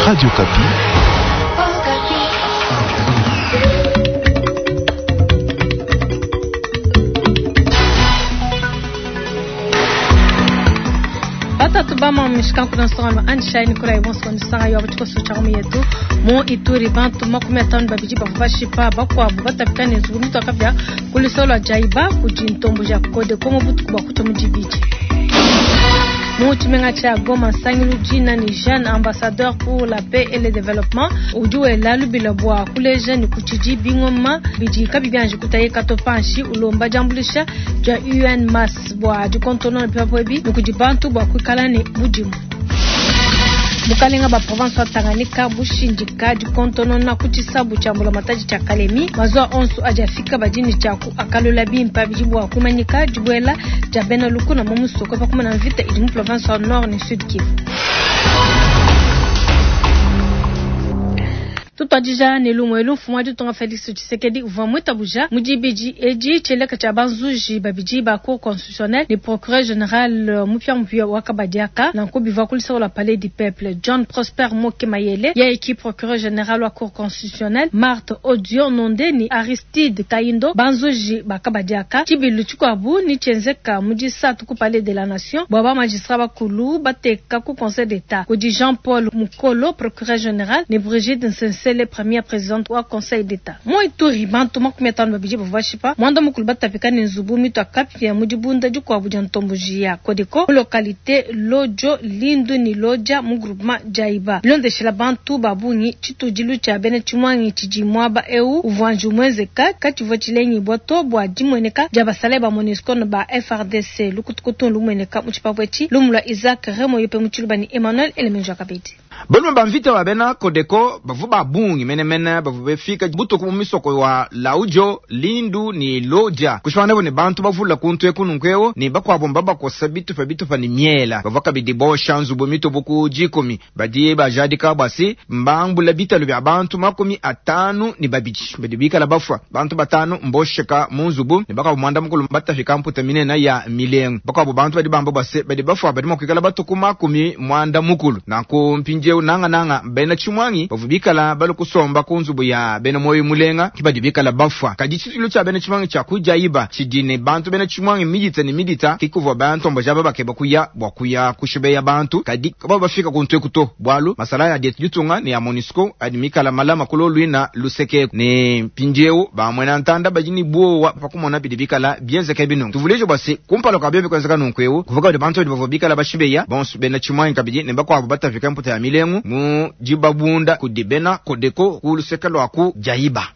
Radio Okapi. Batatu bama mishikanku na nsongano anshai nikolayi bonso nisanga yo abatikoso cha yetu mu Ituri bantu 52 bavua bashipa bakuabu batapika ne nzubu mitu akapia kulisolo jaiba kudi ntombo ja Codeco mu butuku bua kucha mu dibidi. Mu tshimenga tshia Goma nsangilu dina ni Jeune ambassadeur pour la paix et le développement udi wela lubila bua kuleja ni kutshidi bingoma bidi kabi bianji kutayika to panshi ulomba diambulisha dia UN Mass bua dikontonona bipapu ebi ni kudi bantu bua kuikala ne budimu. Bukalenga ba province wa Tanganyika bushindika dikontonona ku tshisabu tshia mbulamatadi tshia Kalemi mazuwa onso adi afika badini tshiaku akalula bimpa bidi bua kumanyika dibuela dia bena lukuna mu musoko pa kumana mvita idi mu province wa Nord ne Sud Kivu. Tutuadija ne lumue mfumu wa ditunga Felix Tshisekedi uvua muitabuja mu dibidi edi tshieleka tshia banzuji babidi ba cour constitutionnelle ne procureur général mupiamupia wa Kabadiaka nanku bivua kulisaka la palais du peuple John Prosper Moke Mayele yeye ki procureur général wa cour constitutionnelle Marthe Odio Nonde ni Aristide Kaindo banzuji ba Kabadiaka tshibilu tshikuabu ni tshienzeka mu disatu ku palais de la nation bua ba magistrat bakulu bateka ku conseil d'état kudi Jean Paul Mukolo procureur général ne Brigitte Nsense le première présidente wa conseil d'état mu Ituri bantu 52 bavua bashipa mwanda mukulu batapika ne nzubu mitu akapia mu dibunda dikuabu dia ntomboji ya Codeco mu localité Lojo Lindu ni Loja mu groupement Jaiba bilondeshela bantu ba bungi tshitudilu tshia bena tshimwangi tshidi muaba eu uvua nju muenzeka katshivua tshilengi to bua dimueneka dia basalayi ba MONUSCO ne ba FARDC lukutukutu lumueneka mu tshipapu etshi lumu lua Isaac Remo yope mu tshiluba ni Emmanuel Elemenjo Kabedi. Balume ba mvita ba bena Codeco bavua ba bungi menemene bavua bafika butuku mu misoko wa Laujo Lindu ni Loja kushwana ne bantu bavula kuntu ekununkweo ni bakwabo mbabakosa bitupa bitupa ni miela bavua kabidi bosha nzubu mitubu ku jikumi badi bajadika bwasi mbambula bitalu bya bantu 52 badi bikala bafwa bantu batanu mbosheka mu nzubu ne bakwabo mwanda mukulu batafika mputa minene ya milengo bakwabo bantu badi bamba bwase badi bafwa badi makwikala batuku 90 nanku mpindieu nanga nanga bena tshimwangi bavua bikala bali kusomba ku nzubu ya bena moyo mulenga ki badi bikala bafwa kadi tshitulo tshia bena tshimwangi tshia kujaiba tshidi ne bantu bena tshimwangi midita ne midita kikuvua bantu mbaja babakeba kuya bua kuya kushibeya bantu kadi kaba bafika kuntu ekuto bwalu masala ya dietu ditunga ne ya MONUSCO adi mikala malama kulo lwina luseke ne mpindieu bamwena ntanda badi ni buowa pakumona bidi bikala bienzeka binungu tuvulejo bwase kumpala kwa bebe kwenzeka nunku eu kuvuka badi bantu badi bavua bikala bashibeya bonso bena tshimwangi kabidi ne bakuabu batafika mputa ya milengu mu dibabunda kudi bena Codeco ku luseke lua ku jaiba.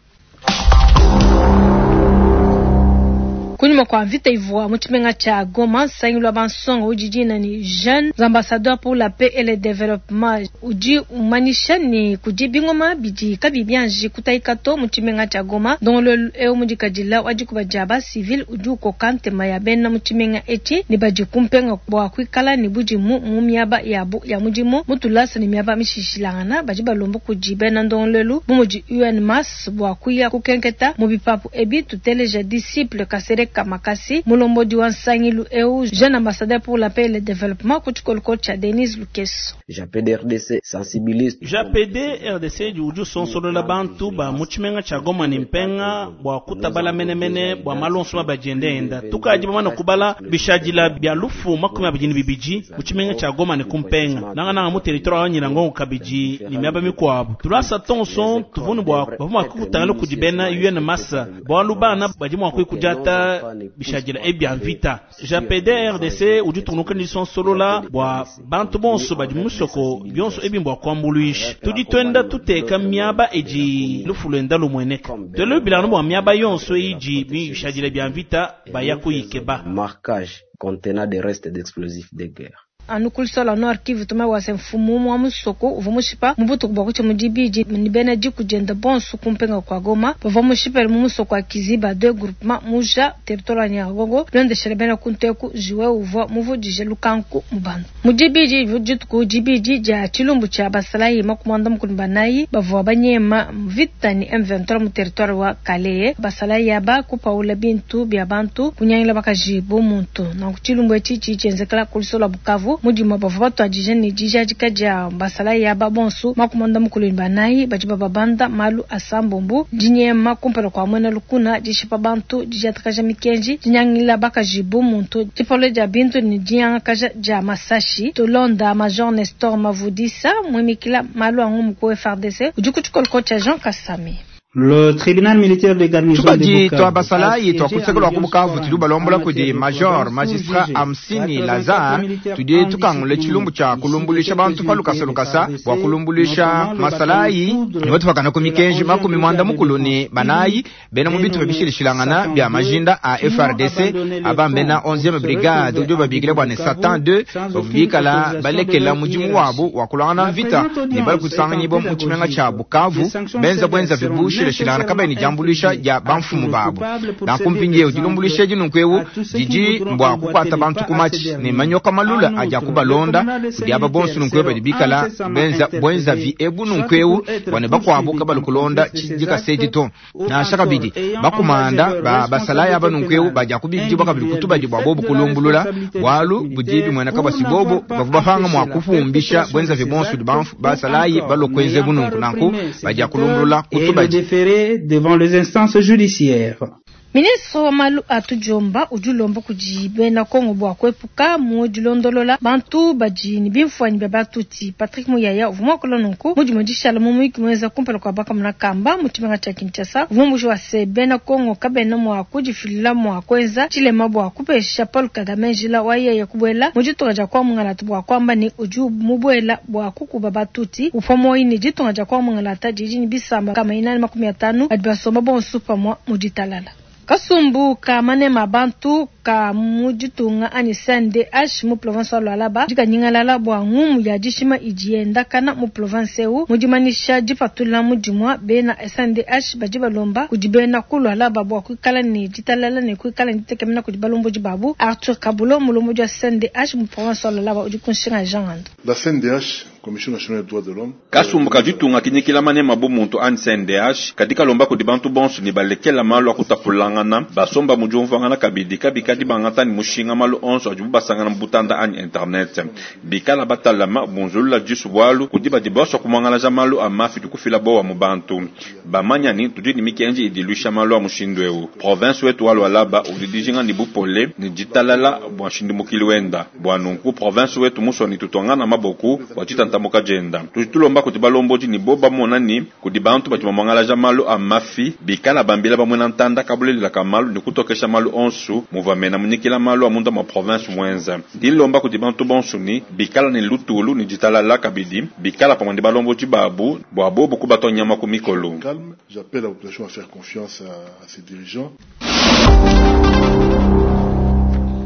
Kunyuma kwa mvita ivua mu tshimenga tshia Goma nsangilu wa bansonga udi dina ni Jeunes ambassadeurs pour la paix et le développement udi umanyisha ni kudi bingoma bidi kabi bianji kutayika to mu tshimenga tshia Goma ndongoluelu eu mudikadila wa dikuba dia ba civil udi ukoka ntema ya bena mu tshimenga etshi ne badi kumpenga bua kuikala ne budimu mu miaba yabu ya mudimu mu tulasa ne miaba mishishilangana badi balomba kudi bena ndongoluelu bu mudi UN Mass bua kuya kukenketa mu bipapu ebi tuteleja disciple Kasereka Kamakasi mulombodi wa nsangilu eu jeune ambassadeur pour la paix et le développement ku tshikoloko tshia Denise Lukeso. JAPD RDC sensibilise JAPD RDC udi usonsolola bantu ba mu tshimenga tshia Goma ne mpenga bua kutabala menemene bua malonso mabadiende tukadi bamana kubala bishadila bya lufu 22 mu tshimenga tshia Goma ne kumpenga nangananga mu territoire wa Nyiragongo kabidi ne miaba mikuabu tulasa tonso tuvunu bua bavua mua kukutangila kudi bena UN Massa bualu bana badi mua kuikujata bishadila ebya mvita JAPD RDC udi tunuka ni sonsolola bua bantu bonso badi musoko bionso ebi mbua kuambuluisha tudi twenda tuteka miaba edi lufu lwenda lumueneka twele bilano bua miaba yonso idi bishadila bya mvita baya kuyikeba marquage contenant des restes d'explosifs de guerre. Anu kulisola Nord Kivu tuma wase mfumu wa musoko uvua mushipa mu butuku bua kutshia mu dibidi ni bena diku dienda bonso kumpenga kwa Goma bavua mushipele mu musoko wa Kiziba deux groupement muja territoire wa Nyiragongo londeshele bena kunteku jiwe uvua muvudije lukanku mu bantu mu dibidi dituku dibidi dia tshilumbu tshia basalayi 94 bavua banyema mvita ni M23 mu territoire wa Kalehe basalayi aba kupaula bintu bya bantu kunyangila bakaji bo muntu nanku tshilumbu etshi tshi tshienzekela kulisola Bukavu. Bukavu mu dimua bavua batuadija ne dijadika dia basalayi aba bonsu 44 badi bababanda malu asambombu, dinyema kumpala kua muena lukuna, dishipa bantu, didiatakaja mikenji, dinyangila bakaji bu muntu, dipawula dia bintu ne dinyangakaja dia masashi. Tulonda Major Nestor Mavudisa muimikila malu a ngumu ku FARDC udi ku tshikoloko tshia Jean Kasami. Le tribunal militaire de garnison de Tubadi tua Bukavu basalayi a siégé tua ku en luseke lua ku audience Bukavu foraine tudi balombola en kudi matière de Major province Magistrat sous JG. Hamsini 84 Lazare militaires tudi tukangula indisciplinés tshilumbu tshia issus de kulumbuluisha quelques bantu pa unités lukasa des lukasa FARDC, bua kulumbuluisha notamment le masalayi bataillon Foudre ne batupakana ku de la mikenji 11e makumi mwanda brigade de mukulu ne défense banayi civile, bena mu bitupa dénommée bishilishilangana Satan bia 2, majinda a qui ont FARDC abandonné le aba mbena front pour 11e se brigade retrouver udi en babikila bua ne Bukavu Satan 2 sans bavua aucune bikala autorisation de balekela leur mudimu hiérarchie. wabu wa kulwangana La mvita présente ne bali audience est en kusanganyibwa mu tshimenga pédagogie. tshia Bukavu Des sanctions benza sévères bwenza seront vibushilashilangana kabayi ne nécessairement diambuluisha infligées dia à tous bamfumu les babu coupables pour nanku servir mpindiewu d'exemple dilumbuluisha edi nunkuewu à tous ceux qui didi voudront mbua emboîter kukuata le bantu pas ku à ces matshi ne derniers. manyoka malula En adia outre, le kubalonda tribunal de ces kudi aba bonso militaires nunkuewu badi seront bikala incessamment benza bwenza vi interpellés, ebu soit nunkuewu pour être bua ne bakuabu poursuivis kabali comme kulonda complices de ces tshidikasa edi actes to ou nansha encore kabidi ayant engagé bakumanda leur ba basalayi aba responsabilité nunkuewu pénale badia kubikidibwa kabidi individuelle kutubadi du bua fait bobu de la kulumbulula responsabilité bualu budi militaire bimueneka pour basi bobo n'avoir pas bavua bapanga empêché mua la kufumbisha perpétration bwenza de vi ces bonso actes banfu ou basalayi encore balua kuenza n'ayant pas bununku nanku réprimé ces badia auteurs kulumbulula et le kutubadi déférer devant les instances judiciaires. Ministre wa malu a tudiomba udi ulomba kudi bena Kongo bua kuepuka mu dilondolola bantu badi ne bimfuanyi bia batuti. Patrick Muyaya uvua muakula nunku mu dimue dishala mu muyuki muenza kumpala kua bakamuna kamba mu tshimenga tshia Kinshasa. Uvua mumbushi wa se bena Kongo kabena mua kudifilila mua kuenza tshilema bua kupesha Paul Kagame njila wa yeye kubuela mu ditunga dia kwa mungalata bua kuamba ne udi mubuela bua kukuba batuti upua muoyo ne ditunga dia kwa mungalata didi ne bisamba kama 450 badi basomba bonso pamue mu ditalala. Kasumbu ka manema bantu ka mu ditunga anyi CNDH mu province wa Lualaba dikanyingalala bua ngumu ya dishima idi yendakana mu province eu mu dimanyisha dipatula mu dimua bena SNDH badi balomba kudi bena ku Lualaba bua kuikala ne ditalala ne kuikala ne ditekemena kudi balombodi babu. Arthur Kabulo mulombodi wa CNDH mu province wa Lualaba udi ku nshinga Jean Ando. La CNDH, Commission nationale des droits de l'homme, kasumbu ka ditunga kinyikila manema bu muntu ani CNDH kadi kalomba kudi bantu bonso ne balekela malu akutapulangana basomba mu diumvuangana kabidi kabikadi bangata ne mushinga malu onso adibu basangana mu butanda anyi internet bikala batalama bunzulula disu bualu kudi badi bonso kumuangalaja malu a mafi dikufila bowa mu bantu bamanya ni tudi ne mikenji idi iluisha malu a mushindu eu province wetu wa Lualaba udi dijinga ne bupole ne ditalala bua nshindimukili wenda bua nunku province wetu musoni tutwangana maboku bua ditantamuka dienda tudi tulomba kuti balombodi ni bo bamona ni kudi bantu badi bamuangalaja malu a mafi bikala bambila bamwena ntanda kabulelelaka malu ne kutokesha malu onsu muvua mena munyikila malu a munda mwa province mwenza ndilomba kudi bantu bonsu ni bikala ne lutulu ne ditalala kabidi bikala pamue ne balombodi babu bua bobu kubatwa nyama ku mikolo calme. J'appelle la population à faire confiance à ses dirigeants.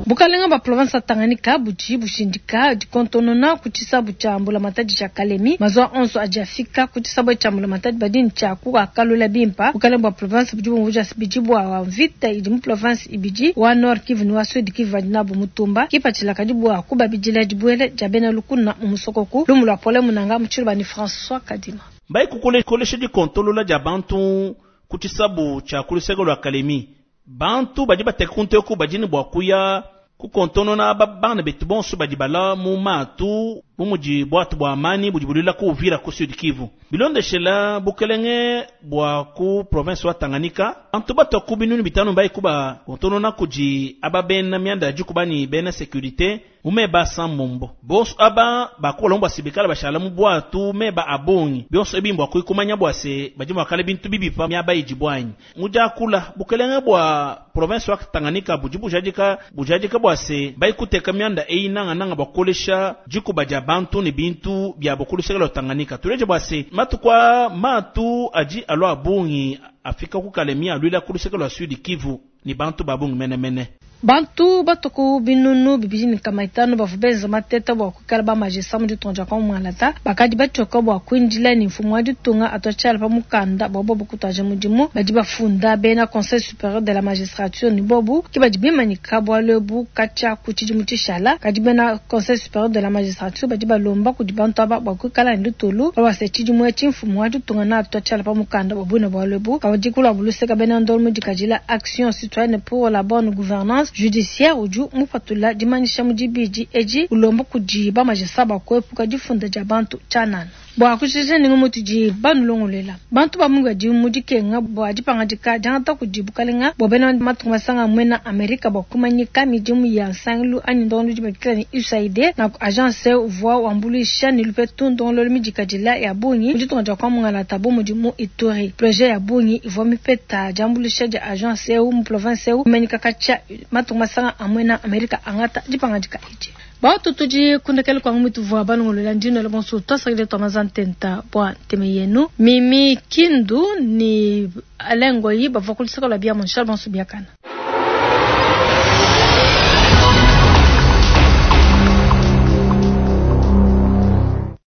Bukalenga ba province ya Tanganyika budi bushindika dikontonona ku tshisabu tshia mbulamatadi tshia Kalemi mazwa onso adi afika ku tshisabu tshia mbulamatadi badi ne tshia kuakalula bimpa. Bukalenga bua province budi bumvuija bidi bua mvita idi mu province ibidi wa Nord Kivu ne wa Sud Kivu badi nabu mutumba kipatshila kadi bua kubabidila dibuela dia bena lukuna mu musokoku lumu lua pole munanga mu tshiluba ni François Kadima. Mbai kukolesha dikontolola dia bantu ku tshisabu tshia ku luseke lua Kalemi bantu badi bateka kunteku badi ne bua kuya kukontonona aba bana betu bonso badi bala mu matu bu mudi bwatu bua amani budi bulila ku Uvira ku Sud Kivu bilondeshela bukelenge bua ku province wa Tanganyika bantu batwa ku binunu bitanu mbai kuba kontonona kudi aba bena mianda ya dikuba ni bena sécurité mumeba sambombo bonso aba bakola mbwa sibikala bashala mu bwatu meba abongi bionso ebi mbwa kuikumanya bwa se badi mwakala bintu bibipa miaba idi bwanyi mujakula bukelenge bua province wa Tanganyika budi bujadika bujadika bwa se baikuteka mianda eyi nanga nanga bakolesha dikuba dia bantu ne bintu bia bokuluseka Tanganyika tuleje bwa se matukwa matu adi alwa abongi afika ku Kalemi alwila kuluseka lwa Sud Kivu ni bantu babungi menemene. Bantu batuku binunu bibidi ne nkama itanu bavua benza mateta bua kuikala ba magistrat mu ditunga dia Kongo bakadi batshioka bua kuindila ne mfumu wa ditunga atuatshiala pa mukanda bua bobu kutuaja mudimu badi bafunda bena conseil supérieur de la magistrature ne bobu ke badi bimanyika bualu ebu katshia ku tshidimu tshishala kadi bena conseil supérieur de la magistrature badi balomba kudi bantu aba bua kuikala ne lutulu babase tshidimu etshi mfumu wa ditunga na atuatshiala pa mukanda bua buine bualu ebu kadi kulua buluseka bena ndolo mu dikadila action citoyenne pour la bonne gouvernance. judiciaire udi mupatula dimanyisha mu dibidi edi ulomba kudi ba magistrat bua kuepuka difunda dia bantu tshianana. Bua kujikija ne ngumu itudi banulongoluela, bantu ba bungi badi mu dikenga bua dipangadika diangata kudi bukalenga bua bena matunga masanga muena Amerika bua kumanyika midimu ya nsangilu anyi ndongoluelu babikila ne USAID. Nanku agence uvua wambuluisha ne lupetu ndongoluelu midikadila ya bungi mu ditunga dia kwa mungalata bu mudi mu Ituri. Projet ya bungi ivua mipeta diambuluisha dia agence eu mu province eu imanyika katshia matunga masanga a muena Amerika angata dipangadika edi. Batu tudi kundekela kwa ngumu tuvua balongolola ndino la bonso twasakile twa mazantenta bua nteme yenu Mimi Kindu ni Alain Ngoyi bavua ku luseke lua bia Monchal bonso biakana.